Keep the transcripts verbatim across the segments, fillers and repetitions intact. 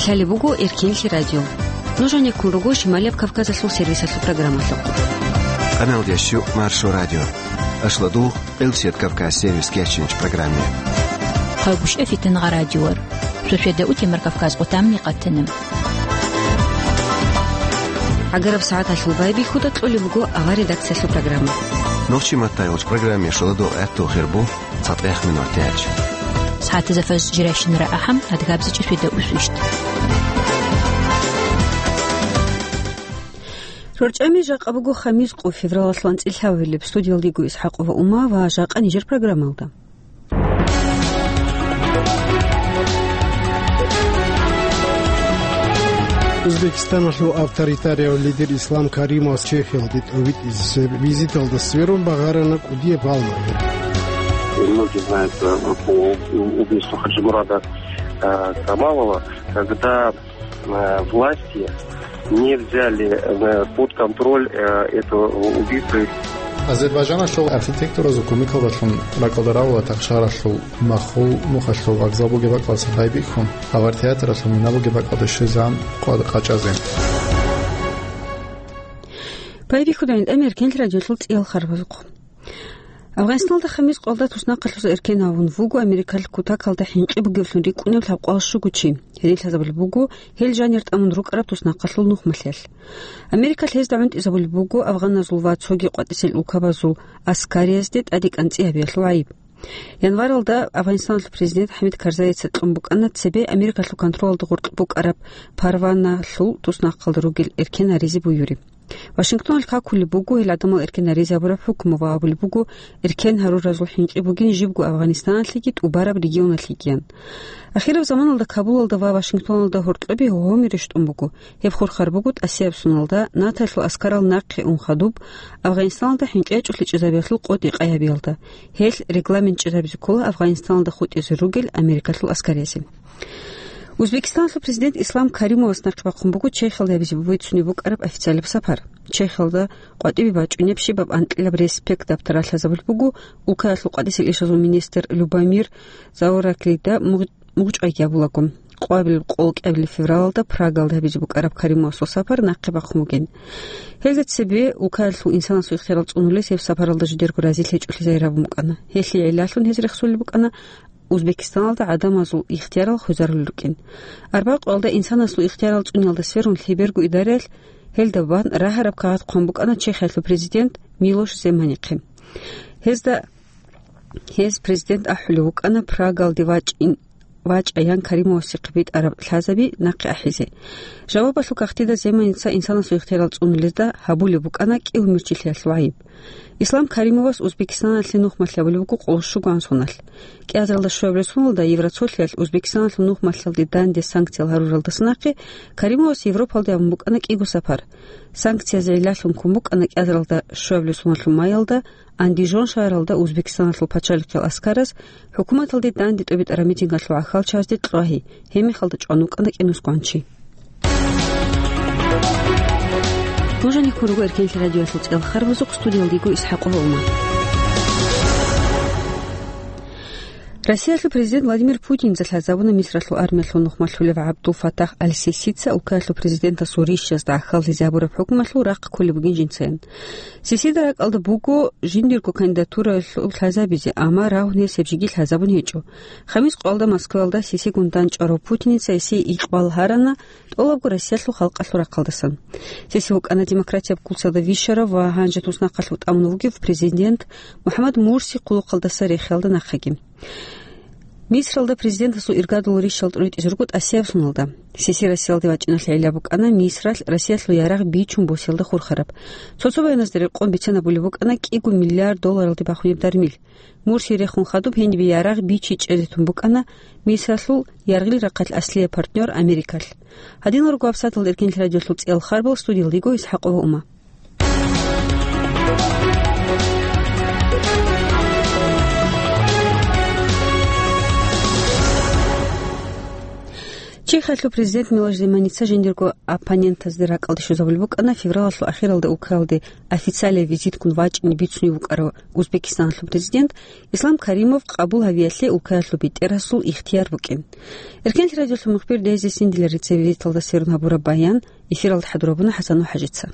Лъалеб буго Эркенлъи радио. Нуж гьанеккун руго Шималияб Кавказалъул сервисалъул программалъухъ. Къаналдеш щу Маршо радио. Ашладугъ Къилсият Кавказ сервис кечинч программе. Хъагушев Фитангъа радиор. Шошеда утемар Кавказ къутамни къатана. Агараб сагӀаталъул байбихьуда кьолеб буго авар редакциялъул программа. Нохчи маттайгъуч программе шоладо гӀатту хирбу. ЦатӀех минутач. СагӀатазда фаз жирайщинара ахӀам, адгабзичӀеб шведа усвищт. РорчӀами жакъа буго хамис къо февралалъул анцӀила лъабабилеб. Студиялдего ИсхӀакъова Ума ва жакъа нижер программалда. Узбекистаналъул авторитариав лидер Ислам Каримовас Чехиялде тӀовитӀизе визиталда сверун багъарана кӀудияб гьалмагӀи. Многие знают, э, по убийству Хаджимурада, э, Камалова, когда, э, власти не взяли, э, под контроль, э, это убийство. Азербайджаналъул архитекторазул кумекалдалъун ракӀалда равула тахшаралъул махул нухалъул вокзал бугеб бакӀалдаса байбихьун, авар театралъул мина бугеб бакӀалде щвезегӀан къватӀ къачӀазе. Байбихьуда гӀинтӀам Эркенлъи радиолъул цӀиял харбазухъ. Афганистаналда хамис къоялда туснахъалъуса эркен гьавун вуго Америкалъ кутакалда хӀинкъи бугевлъун рикӀкӀунев лъабкъоялъ щуго чи. Гьедин лъазабулеб буго гьел жанир тӀамун рукӀараб туснахъалъул нухмалъиялъ. Америкалъ гьезда гӀунтӀизабулеб буго афганазул ва цоги къватӀисел улкабазул аскариязде тӀаде кӀанцӀи гьабиялъул гӀайиб. Январалда Афганистаналъул президент ХӀамид Карзайица кьун букӀана цебе Америкалъул контролалда гъоркь букӀараб Парваналъул туснахъалда ругел эркен гьаризе буюри. Вашингтоналъ какулеб буго гьел гӀадамал эркен гьаризе гьабураб хӀукму ва абулеб буго, эркен гьаруразул хӀинкъи бугин жибго Афганистаналъеги тӀубараб регионалъегиян. Ахираб заманалда Кабулалда ва Вашингтоналда гьоркьоби гьомер рещтӀун буго. Гьеб хурхар буго тӀасияб соналда НАТОялъул аскарал нахъе ун хадуб, Афганистаналда хӀинкъи гьечӀолъичӀезабиялъул къотӀи къай гьабиялда. Гьел регламент чӀезабизе ккола Афганистаналда хутӀизе ругел Америкалъул аскариязин. Узбекистаналъул президент Ислам Каримовас нахъе бахъун буго Чехиялда гьабизе бицунеб букӀараб официалаб сапар. Чехиялда къватӀибе бачӀунеб щибаб анкьилаб «Респект» дабтар ралъазабулеб буго улкаялъул къватӀисел ишазул министр Любомир Заораклида мугъ-, мугъчӀвайги абулаго. Къоабилеб къолкьабилеб февралалда Прагалда гьабизе букӀараб Каримовасул сапар нахъе бахъун бугин. Гьелда цебе улкаялъул инсанасул ихтиярал цӀунулес гьеб сапаралда жидерго разилъи гьечӀолъи загьир гьабун букӀана. Гьелъие гӀиллалъун гьез рехсулеб букӀана Узбекистаналда гӀадамазул ихтиярал хвезарулел рукӀин. Арбакьуялда инсанасул ихтиярал цӀуниялда сверун лъеберго идараялъ гьелда бан рагьараб кагъат хъван букӀана Чехиялъул президент Милош Земанихъе. Гьезда, гьез президент ахӀулев вукӀана Прагалде вачӀин, вачӀаян Каримовасихъе битӀараб лъазаби нахъе ахӀизе. Жавабалъул кагътида Земаница инсанасул ихтиярал цӀунулезда гьабулеб букӀана кӀиго мирчилъиялъул гӀайиб. Ислам Каримовас Узбекистаналъе нухмалъ гьабулеб буго къолошугоан соналъ. КӀиазаралда щуабилеб соналда Евроцолъиялъ Узбекистаналъул нухмалъиялде данде санкциял гьаруралдаса нахъе Каримовас Европалде гьабун букӀана кӀиго сапар. Санкциязе гӀиллалъун ккун букӀана кӀиазаралда щуабилеб соналъул майялда Андижон шагьаралда Узбекистаналъул пачалихъиял аскараз хӀукуматалде данде тӀобитӀараб митингалъул гӀахьалчазде кьвагьи, гьеб мехалда чӀван вукӀана кӀинусгоан чи. Нуж гьанеккун руго Эркенлъи радиоялъул цӀиял харбазухъ, студиялдего ИсхӀакъова Ума. Россиялъул президент Владимир Путинца лъазабуна Мисралъул армиялъул нухмалъулев ГӀабдул Фатах аль-Сисица улкаялъул президентасул рищазда гӀахьаллъизе гьабураб хӀукмалъул рахъ кколеб бугин жинцаян. Сисида ракӀалда буго жиндирго кандидатураялъул лъазабизе, амма рагьун гьес гьеб жеги лъазабун гьечӀо. Хамис къоялда Москваялда Сисигун дандчӀварав Путиница гьесие икъбал гьарана тӀолабго Россиялъул халкъалъул рахъалдасан. Сиси вукӀана демократияб курсалда вищарав ва гьанже туснахъалъув тӀамун вугев президент МухӀаммад Мурси хъулухъалдаса рехиялда нахъеги. Мисралда президентасул иргадул рищал тӀоритӀизе руго тӀасияб соналда. Сиси Россиялде вачӀиналъе гӀилла букӀана Мисралъ Россиялъул ярагъ бичун босиялда хурхараб. Цо-цо баяназда рекъон бицанабулеб букӀана кӀиго миллиард долларалде бахунеб дармил. Мурси рехун хадуб гьенибе ярагъ бичи чӀезе тун букӀана Мисралъул яргъил рахъалъ аслияб партнер Америкалъ. Гьадинал руго гьабсагӀаталда Эркенлъи радиолъул цӀиял харбал, студиялдего ИсхӀакъова Ума. Чехиялъул президент Милош Земаница жиндирго оппонентазде ракӀалде щвезабулеб букӀана февралалъул ахиралда улкаялде официалияб визитгун вачӀине бицунев вукӀарав Узбекистаналъул президент Ислам Каримов къабул гьавиялъе улкаялъул бетӀерасул ихтияр букӀин. Эркенлъи радиолъул мухбир Деза Синдиларица визиталда сверун гьабураб баян эфиралда хӀадурабуна ХӀасан МухӀажица.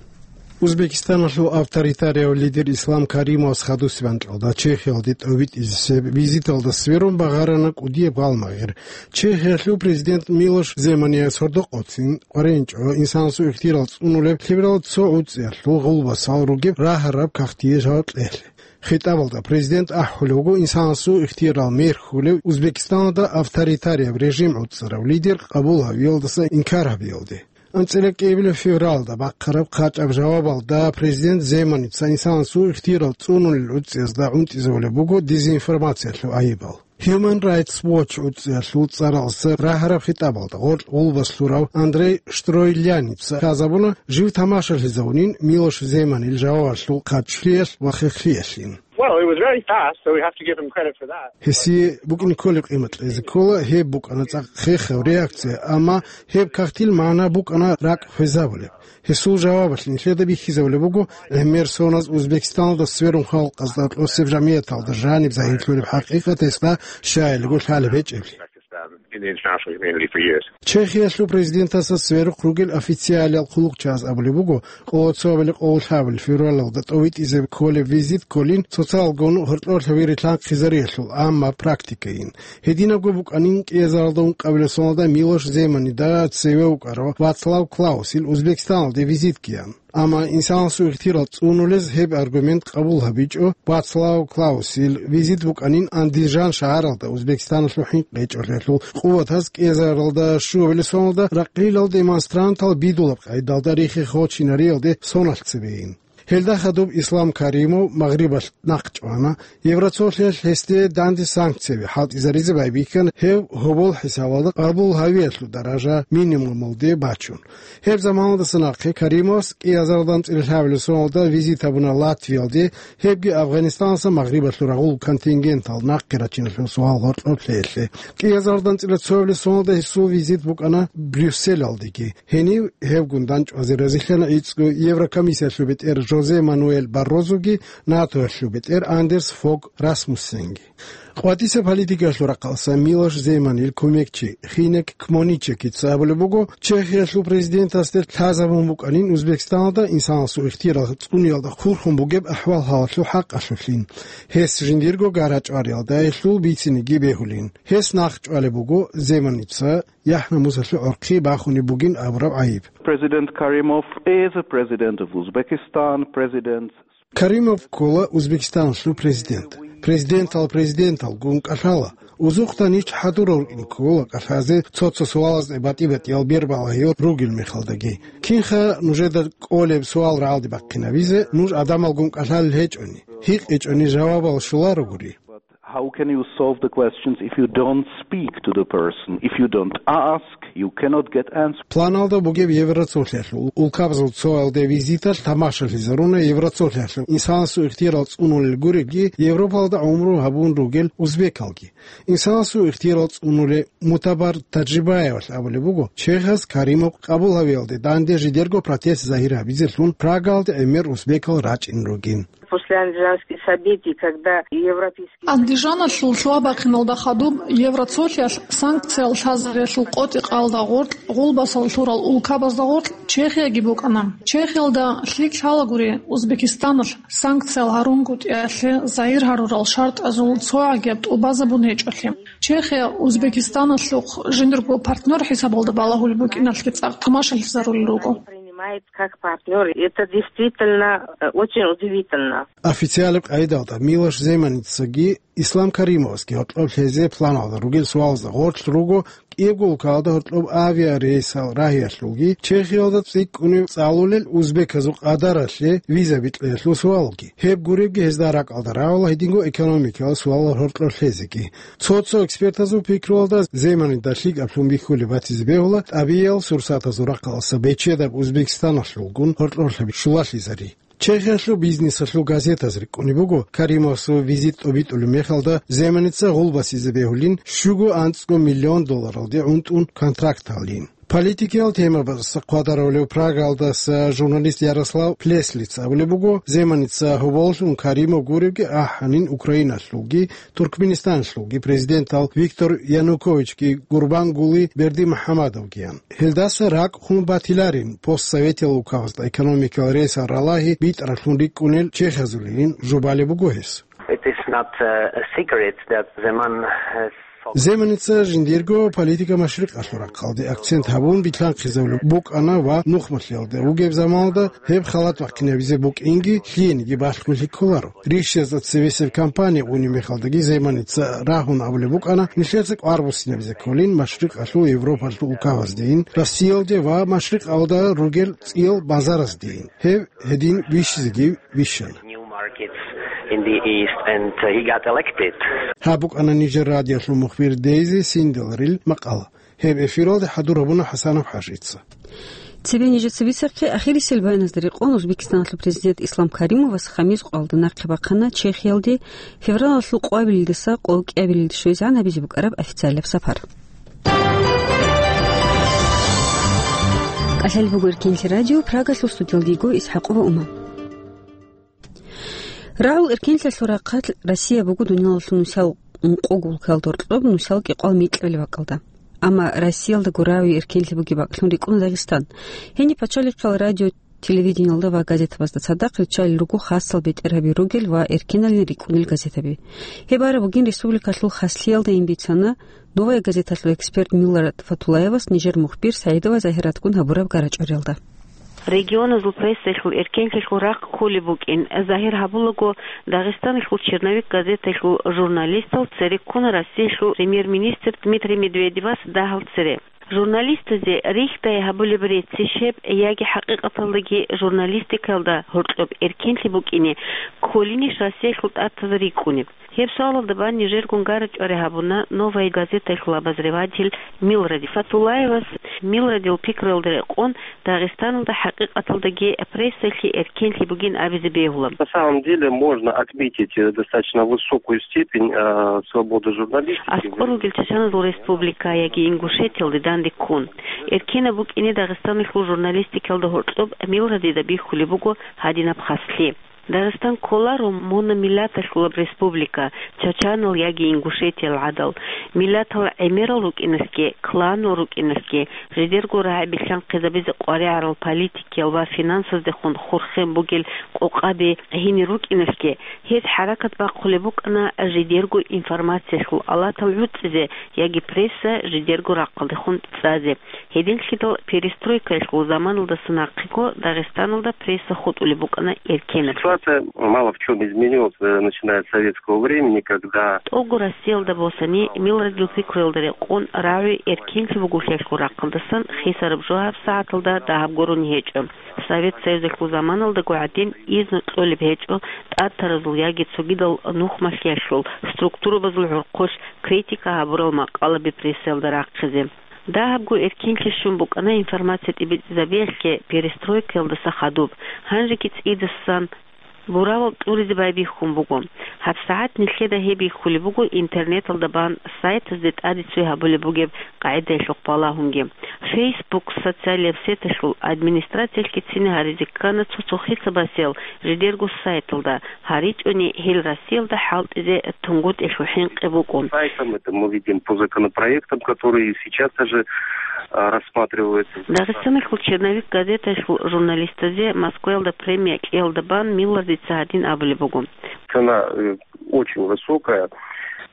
Узбекистаналъул авторитарияб лидер Ислам Каримовас хадусеб анкьалда Чехиялде тӀовитӀизе визиталда сверун багъарана кӀудияб гъалмагъир. Чехиялъул президент Милош Земаниас гьордо къоцин къваригӀинчӀо инсанасул ихтияр цӀунулеб лъеберал цо гӀуцӀиялъул гъулбасал ругеб рагьараб кагътие жаваб кьезе. Хитабалда президент ахӀулев вуго инсанасул ихтиярал мерхьулев Узбекистаналда авторитарияб режим гӀуцӀарав лидер къабул гьавиялдаса инкар гьабиялде. АнцӀила кӀиабилеб февралда бахъараб хъачӀаб жавабалда президент Земаница инсанасул ихтиярал цӀунулел гӀуцӀиязда гӀунтӀизабулеб буго дезинформациялъул гӀайибал. Human Rights Watch гӀуцӀиялъул цӀаралъа рагьараб хитӀабалда гъоркь гъулбас лъурав Андрей Штройлянница лъазабуна жив тамашалъизавунин Милош Земанил жавабалъул хъачлъиялъ ва хехлъиялъин. Well, it was very fast, so we have to give him credit for that. Гьесие букӀин кколеб къимат кьезе ккола, гьеб букӀана цӀакъ хехаб реакция, амма гьеб кагътил магӀна букӀана ракӀ хвезабулеб. Гьесул жавабалъ нилъеда бихьизабулеб буго гӀемер соналъ Узбекистаналда сверун халкъазда тӀоцеб жамигӀаталда жаниб загьирлъулеб хӀакъикъат гьесда щайилго лъалеб гьечӀеблъи. In the international community for years. Чехиялъул президентасда сверухъ ругел официалиял хъулухъчияз абулеб буго, къоло цоабилеб къоло лъабабилеб февралалда тӀовитӀизе кколеб визит кколин цоцалгун гьоркьорлъи рилълъанхъизариялъул, амма практикайин. Гьединабго букӀанин кӀиазаралда ункъабилеб соналда Милош Земанида цеве вукӀарав Вацлав Клаусил Узбекистаналде визитги ан. Амма инсанасул ихтияр цӀунулез гьеб аргумент къабул гьабичӀо, Вацлав Клаусил визит букӀанин Андижан шагьаралда Узбекистаналъул хӀинкъи гьечӀолъиялъул къуватаз кӀиазаралда щуабилеб соналда ракъилал демонстрантал бидулаб къайдалда рихе-хочинариялде соналъ цебейин. Гьелда хадуб Ислам Каримов Магърибалъ нахъ чӀвана, Евросолъиялъ гьесде данде санкцияби хӀалтӀизаризе байбихьана, гьев гьобол хӀисабалда къабул гьавиялъул даража минимумалде бачун. Гьеб заманалдаса нахъе Каримовас кӀиазаралда анцӀила лъабабилеб соналда визит гьабуна Латвиялде, гьебги Афганистаналъа Магърибалъул рагъул контингентал нахъе рачиналъул суал гьоркьоб лъеялъе. КӀиазаралда анцӀила цоабилеб соналда гьесул визит букӀана Брюсселалдеги. Гьенив гьевгун дандчӀвазе разилъана гӀицӀго Еврокомиссиялъул бетӀер Жозе Мануэль Баррозуги, НАТОялъул бетӀер Андерс Фог Расмуссенги. КъватӀисеб политикаялъул рахъалъа Милош Земанил кумекчи Хинек Кмоничекица абулеб буго, Чехиялъул президентасде лъазабун букӀанин Узбекистаналда инсанасул ихтияр цӀуниялда хурхун бугеб ахӀвал-гьалалъул хӀакъалъулъин. Гьес жиндирго гара-чӀвариялда гьелъул бициниги бегьулин. Гьес нахъ чӀвалеб буго Земаница яхӀ-намусалъул гӀорхъи бахунеб бугин абураб гӀайиб. President Karimov is a president of Uzbekistan, president. Каримов ккола Узбекистаналъул президент. Президентал президенталгун кӀалъала. Узухъда ниж хӀадурал рукӀин ккола кӀалъазе цо-цо суалазда батӀи-батӀиял бербалагьиялъ ругел мехалдаги. Кинха нужеда кӀолеб суал рагӀалде бахъинабизе, нуж адамалгун кӀалъалел гьечӀони, гьикъичӀони жавабал щоларогури. How can you solve the questions if you don't speak to the person? If you don't ask, you cannot get answers. Планалда бугеб Евросолъиялъул улкабазул цоялде визиталъ тамашалъизаруна Евросолъиялъул инсанасул ихтияр цӀунулел гуребги, Европалда гӀумру гьабун ругел узбекалги. Инсанасул ихтияр цӀунулев Мутабар Таджибаевалъ абулеб буго, чехас Каримов къабул гьавиялде данде жидерго протест загьир гьабизелъун Прагаялде гӀемер узбекал рачӀин ругин. После андижанских событий, когда европейские... Андижаналъул лъугьа-бахъиналда хадуб Евроцолъиялъ санкциял лъазариялъул къотӀи-къалда гъоркь гъулбасал лъурал улкабазда гъоркь Чехияги букӀана. Чехиялда лъикӀ лъалагури Узбекистаналъ санкциял гьарунгутӀиялъе загьир гьарурал шартӀазул цо гӀагиб тӀубазабун гьечӀолъи. Чехия Узбекистаналъухъ жиндирго партнер хӀисабалда балагьулеб букӀиналъги цӀакъ тамашалъизарулел руго. Принимает как партнёр. Это действительно, э, очень удивительно. Официалаб къайдалда Милош Земаницаги Ислам Каримовасги гьоркьоб лъезе планалда ругел суалазда гъорлъ руго кӀиябго улкалда гьоркьоб авиарейсал рагьиялъулги, Чехиялда цӀикӀкӀунеб цӀалулел узбеказул къадаралъе виза бикьиялъул суалги. Гьеб гуребги гьезда ракӀалда равала гьединго экономикалъул суалал гьоркьоб лъезеги. Цо-цо экспертазул пикруялда, Земанида лъикӀаблъун бихьулеб батизе бегьула тӀабиял сурсатазул рахъалъа бечедаб Узбекистаналъулгун гьоркьорлъаби щулалъизари. Чехиялъул бизнесалъул газетаз рикӀкӀунеб буго, Каримовасул визит тӀобитӀулеб мехалда, Земаница гъулбасизе бегьулин, щуго анцӀго миллион долларалде гӀунтӀун контракт гьабулин. Политикиял темабаз хъвадарулев Прагалдаса журналист Ярослав Плеслица абулеб буго, Земаница гьоболлъун Каримов гуребги ахӀанин Украиналъулги, Туркменистанлъулги президентал Виктор Януковичги Гурбангулы Бердимухьаммадовгиян. Гьелдаса ракӀ хун батиларин, постсоветиял улкабазда экономикал ресал ралагьи битӀаралъун рикӀкӀунел чехазулин жубалеб буго гьес. It is not, uh, a secret that Zeman has focused. Земаница жиндирго политика машрикъалъул рахъалде акцент гьабун битлъанхъизабулеб букӀана ва нухмалъиялда вугеб заманалда гьеб халат вахъинабизе букӀинги лъиениги балъголъи кколаро. Ришазда цевесеб кампания унеб мехалдаги Земаница рагьун абулеб букӀана, нилъеца кӀвар буссинабизе кколин Машрикъалъул Европалъул улкабаздейин, Россиялде ва Машрикъалда ругел цӀиял базараздейин. Гьеб гьедин бищизеги бищана. New markets in the East, and, uh, he got elected. Гьаб букӀана Нижер радиолъул мухбир Дейзи Синдалрил макъала. Гьеб эфиралда хӀадур гьабуна ХӀасанов ХӀажица. Цебе нижеца бицахъе, ахирисел баяназда рекъон Узбекистаналъул президент Ислам Каримовас хамис къоялда нахъе бахъана Чехиялде февралалъул къоабилилдаса къолкӀиабилилде щвезегӀан гьабизе букӀараб официалаб сапар. КӀалъалеб буго Эркенлъи радио, Прагалъул студиялда йиго ИсхӀакъова Ума. РагӀул эркенлъиялъул рахъалъ Россия буго дуниялалъул нусал ункъого улкаялда гьоркьоб нусал кӀикъоялда микьабилеб бакӀалда. Амма Россиялдаго рагӀуе эркенлъи бугеб бакӀлъун рикӀкӀуна Дагъистан. Гьениб пачалихъал радио, телевидениялда ва газетабазда цадахъ риччалел руго хасал бетӀергьаби ругел ва эркеналин рикӀкӀунел газетаби. Гьеб бараб бугин республикалъул хаслъиялдайин бицана «Новая газеталъул» эксперт Милрат Фатуллаевас нижер мухбир СагӀидова Загьиратгун гьабураб гарачӀориялда. Регионазул прессаялъул эркенлъиялъул рахъ кколеб букӀин загьир гьабулаго, Дагъистаналъул «Черновик» газетаялъул журналистал цере ккуна Россиялъул премьер-министр Дмитрий Медведевас дагьал цере. Журналистазе рихьдай гьабулеб реццищ гьеб яги хӀакъикъаталдаги журналистикаялда гьоркьоб эркенлъи букӀине кколинищ Россиялъул тӀатаз рикӀкӀунеб? Гьеб суалалда бан нижергун гарачӀвари гьабуна «Новая газетаялъул» обозреватель Милрат Фатуллаевас. Милратил пикруялда рекъон, Дагъистаналда хӀакъикъаталдаги прессалъе эркенлъи бугин абизе бегьула. На самом деле можно отметить, э, достаточно высокую степень, э, свободы журналистики. АскӀор ругел чачаназул республика яги Ингушетиялде данде ккун, эркенаб букӀине Дагъистаналъул журналистикаялда гьоркьоб Милратида бихьулеб буго гьадинаб хаслъи. Дагъистан кколаро мономиллаталъулаб республика, чачанал яги Ингушетиял гӀадал. Миллатал гӀемерал рукӀиналъги, кланал рукӀиналъги, жидерго рагӀи билълъанхъизабизе къваригӀарал политикиял ва финансаздехун хурхен бугел къокъаби гьенир рукӀиналъги, гьез хӀаракат бахъулеб букӀана жидерго информациялъул алатал гӀуцӀизе яги пресса жидерго рахъалдехун цӀазе. Гьединлъидал перестройкаялъул заманалдаса нахъего Дагъистаналда пресса хутӀулеб букӀана эркенаб. Ситуация мало в чём изменилась, э, начиная с советского времени, когда... ТӀокӀго Россиялда босани, Милратил пикруялда рекъон, рагӀуе эркенлъи бугулъиялъул рахъалдасан хисараб жо гьабсагӀаталда дагьаб гурони гьечӀо. Совет Союзалъул заманалдаго гӀадин изну кьолеб гьечӀо тӀатаразул яги цогидал нухмалъиялъул структурабазул гӀурхъулъ критика гьабурал макъалаби прессаялда рахъизе. Дагьабго эркенлъи щун букӀана информация тӀибитӀизабиялъе перестройкаялдаса хадуб, гьанжеги цӀидасан буравал кьуризе байбихьун буго. ГьабсагӀат нилъеда гьеб бихьулеб буго интернеталда бан сайтазде тӀаде цой гьабулеб бугеб къагӀидаялъухъ балагьунги. Facebook социалияб сеталъул администрациялъги ццина гьаризе ккана цо-цо хисабасел жидерго сайталда, гьаричӀони гьел Россиялда хӀалтӀизе тунгутӀелъул хӀинкъи букӀун. Сайтом, это мы видим по законопроектам, которые сейчас даже, а, рассматриваются. Дагъистаналъул «Черновик» газеталъул журналистазе Москваялда премия кьеялда бан Милратица гьадин абулеб буго. Цена, э, очень высокая.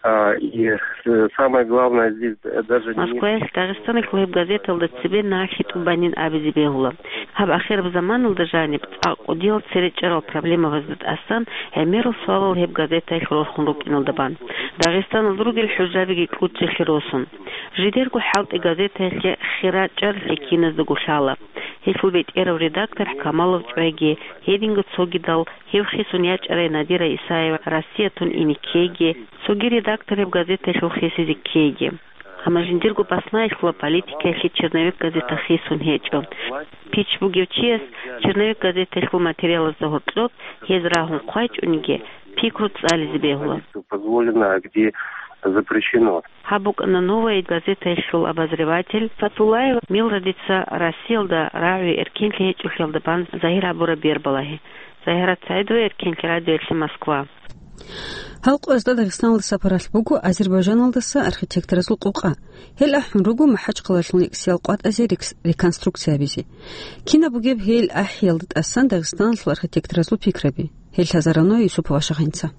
А, и, э, самое главное здесь, э, даже не... Москваялъ Дагъистаналъул гьеб газеталда цебе налъи тӀубанин абизе бегьула. Гьаб ахираб заманалда жаниб цӀакъ кӀудиял цере чӀарал проблемабазда тӀасан гӀемерал суалал гьеб газетаялъ рорхун рукӀиналда бан, Дагъистаналда ругел хӀужабиги кьучӀелъи росун. Жидерго хӀалтӀи газетаялъе хира чӀаралъе киназдаго лъала. Гьелъул бетӀерав редактор Камалов ЧӀвайги, гьединго цогидал, гьев хисун ячӀарай Надира Исаева, Россия тун ине ккейги, цоги редактор гьеб газетаялъул хисизе ккейги. Амма жиндирго басмаялъула политикаялъе «Черновик» газета хисун гьечӀо. Пич бугев чияс «Черновик» газеталъул материалазда гьоркьоб гьез рагьун хъвачӀониги, пикру цӀализе бегьула. Позволено, а где запрещено. Гьаб букӀана «Новая газетаялъул» обозреватель Фатулаева Милрадица Россиялда рагӀи эркенлъи гьечӀолъиялда бан загьир гьабураб бербалагьи. Загьират СагӀидова, Эркенлъи радиоялъе, Москва. Гьал къоязда Дагъистаналда сапаралъ буго Азербайжаналдаса архитекторазул къокъа. Гьел ахӀун руго МахӀачхъалалъул некӀсиял къватӀазе рекс-, реконструкция гьабизе. Кинаб бугеб гьел ахӀиялда тӀасан Дагъистаналъул архитекторазул пикраби? Гьел лъазарано Юсупов Ашахъинца.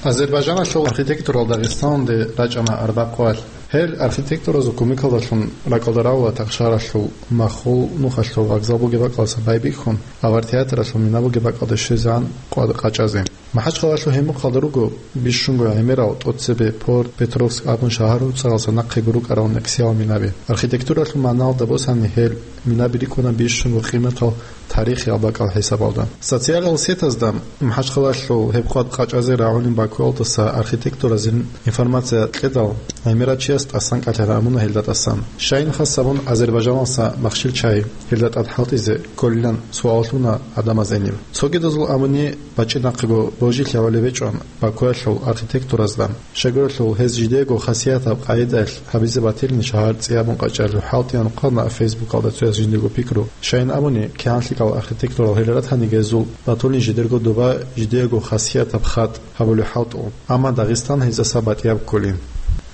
Азербайжаналъул архитекторал Дагъистаналде рачӀана арбякъвал. Гьел архитекторазул кумекалдалъун ракӀалда равула Тахшаралъул, Махул нухалъул вокзал бугеб бакӀалдаса байбихьун, авар театралъул мина бугеб бакӀалде щвезегӀан къватӀ къачӀазе. МахӀачхъалалъул гьеб мухъалда руго бищунго гӀемерал тӀоцебе порт, Петровск абун шагьар цӀаралдаса нахъего рукӀарал некӀсиял минаби. Архитектуралъул магӀналда босани, гьел минаби рикӀкӀуна бищунго къиматал тарихиял бакӀал хӀисабалда. Социалал сетазда МахӀачхъалалъул гьеб къватӀ къачӀазе рагӀулин Бакуялдаса архитекторазин информация кьедал, гӀемерав чияс тӀасан кӀалъалеб гьабуна гьелда тӀасан. Щайин хас гьабун Азербайжаналдаса махщел чагьи гьелда тӀад хӀалтӀизе кколилан суал лъуна гӀадамаз гьениб. Цогидазул абуни, бачӀинахъего божилъи гьабулеб гьечӀо Бакуялъул архитекторазда. Щайгурелъул гьез жидеего хасиятаб къагӀидаялъ гьабизе батилин шагьар цӀиябун къачӀалев хӀалтӀиянухъана Фейсбукалда цояс жиндирго пикру. Щайин абуни, кигӀан лъикӀал архитекторал гьел ратаниги гьезул батулин жидерго доба жидеего хасиятаб хатӀ гьабулев хӀалтӀу. Амма Дагъистан гьезаса батӀияб кколин.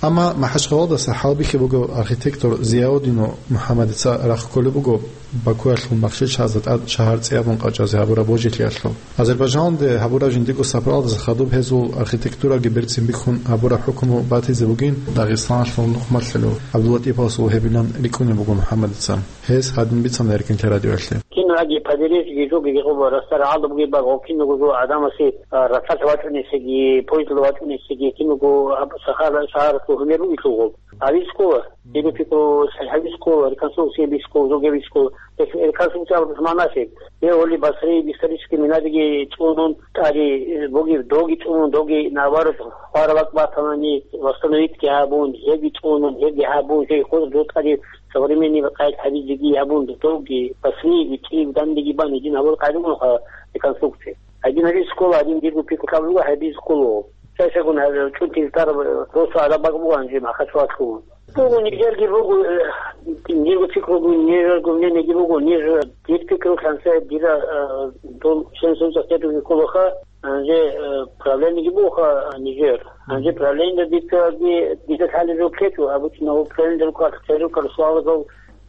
Амма МахӀачхъалалдаса хӀалбихьи бугев архитектор Зияудину МухӀаммадица рахъ кколеб буго Бакуялъул махщел чагьазда тӀад шагьар цӀиябун къачӀазе гьабураб божилъиялъул. Азербайжаналде гьабураб жиндирго сапаралдаса хадуб гьезул архитектураги берцин бихьун гьабураб хӀукму батизе бугин Дагъистаналъул нухмалъулев ГӀабдуллатӀиповасул гьебилан рикӀкӀунеб буго МухӀаммадица. Гьес гьадин бицана Эркенлъи радиоялъе. Кинаги подрезги жоги гьеб раста рагӀалда бугеб бакӀ, кинаго жо гӀадамасе, а, рацалъ вачӀунесеги, поездалда вачӀунесеги, кинаго гьаб шагьар-, шагьаралъул гьумер ругелъул гъоб. Гьабиз ккола, диру пикру, гьабиз ккола, реконструкция биз ккола, жоги биз ккола. Реконструкция абураб магӀна щиб? Гьев гьоле Басри исторический минабиги цӀунун, тӀаде, э, бугеб доги цӀунун, доги, наоборот, хвараб бакӀ батанани, восстановитьги гьабун, гьебги цӀунун, гьебги гьабун, жей хутӀ жо тӀаде современный къайд гьабизе диги гьабун, доги, Басриги, кӀиги, данде диги бан, гьедин гьабураб къайда бугоха реконструкция. Гьедин гьабиз ккола, гьедин дирго пикру лъаб буго, гьабиз ккола. Цайсагун гьаб чӀунтизе тараб, э, просто гьадаб бакӀ буго гьанже МахӀачхъалалъул. Ну, нижерги буго, э, нижерго пикруги, нижерго мнениеги буго, ниж, дир пикру ханса дира, э, дол сенсенса хӀетуги кколаха, гьанже, э, правлениеги бугоха, э, нижер. Гьанже правлениеда дицаги, дица лъалеб жо ккечӀо, обычно правлениеда рукӀар, церукӀар суалазул,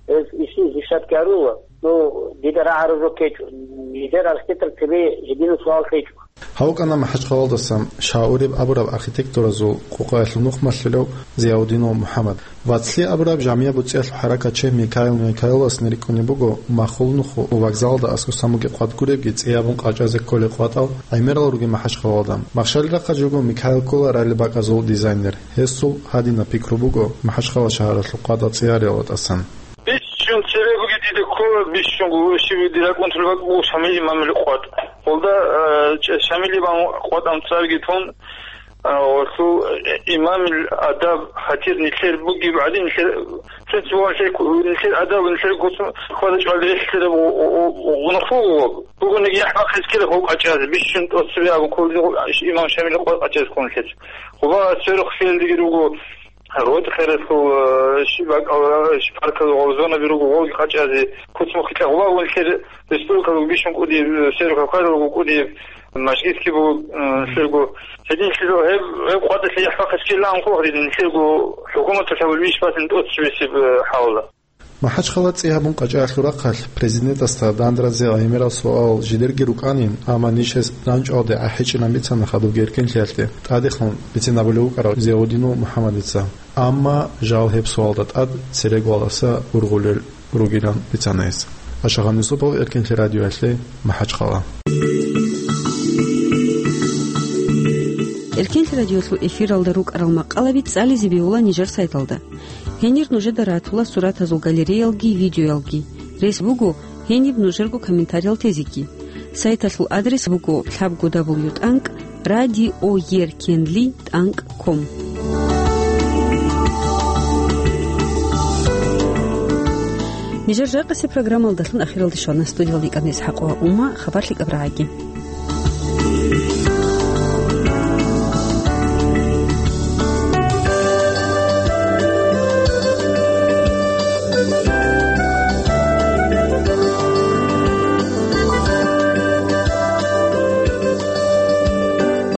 э, иш, иш ишатги гьарула. Ну, дида рагӀараб жо ккечӀо. Нижер архитектор цебе гьединаб суал ккечӀо. Гьав вукӀана МахӀачхъалалдаса Шауреб абураб архитекторазул къокъаялъул нухмалъулев Зияудинов МухӀаммад. Вацлъи абураб жамигӀ-буцӀиялъул хӀаракатчи Микаил Микаиловасни рикӀкӀунеб буго Махул нуху вокзалалда аскӀосан бугеб къватӀ гуребги цӀиябун къачӀазе кколел къватӀал гӀемерал ругел МахӀачхъалалда. Махщел рахъалъ жуго Микаил ккола ралли бакӀазул дизайнер. Гьесул гьадинаб пикру буго МахӀачхъала шагьаралъул къватӀал цӀиярилалда тӀасан. Бищун цебе бугеб дида ккола, бищунго урусиби дир ракӀунтул бакӀ буго Шамил имамил къватӀ. Гьелда, э, ч-, Шамил имам къватӀан цӀарги тун, э, гьелъул, э, имамил адаб, гьатир нилъер бугеб гӀадин, нилъер цецбугьан нилъер ку-, нилъер адаб, нилъер куцун хвада чӀвалде рехилъараб гъу-, гъу-, гъу-, гъунахъ буго. Бугониги яхӀ бахъизе ккела гъов къачӀазе, бищун тӀоцебе абун кколги гъов имам Шамил къватӀ къачӀазе кколелъец. Гъуба сверухъ хьелдигируго, РотӀ-Хералъул, э, щиб бакӀал, э, щиб паркалъул гъоб зонаби руго, гъолги къачӀазе, куц-мухъ кьа гъуба гьун нилъер республикалъул бищун кӀудияб, э, Северо-Кавказалъул кӀудияб, Мажгитский буго, э, нилъерго. Гьедин нилъер гьеб, гьеб къватӀалъе яхӀ бахъизе ккелаан хъугьарин нилъерго хӀукуматалъ гьабулеб иш батани тӀоцебесеб, э, хӀалалда. МахӀачхъала цӀи гьабун къачӀаялъул рахъалъ президентасда дандразе гӀемерал суал жидерги рукӀанин, амма ниж гьес данчӀвалде ахӀичӀилан бицана хадубги эркенлъиялъе тӀадехун бицин абулев вукӀарав Зияудинов МухӀаммадица. Амма жал гьеб суалда тӀад церегваласа ургъулел ругилан бицана гьес. Ашагъан Юсупов, Эркенлъи радиоялъе, МахӀачхъала. Эркенлъи радиоялъул эфиралда рукӀарал макъалаби цӀализе бегьула нижер сайталда. Гьенир нужеда ратула суратазул галереялги видеоялги. Рес буго гьениб нужерго комментариял тезеги. Сайталъул адрес буго лъабго дабл ю тӀанкӀ радиоеркенли тӀанкӀ ком. Нижер жакъасеб программалдалъун ахиралде щвана. Студиялда йикӀана ИсхӀакъова Умма. Хабар лъикӀаб рагӀаги.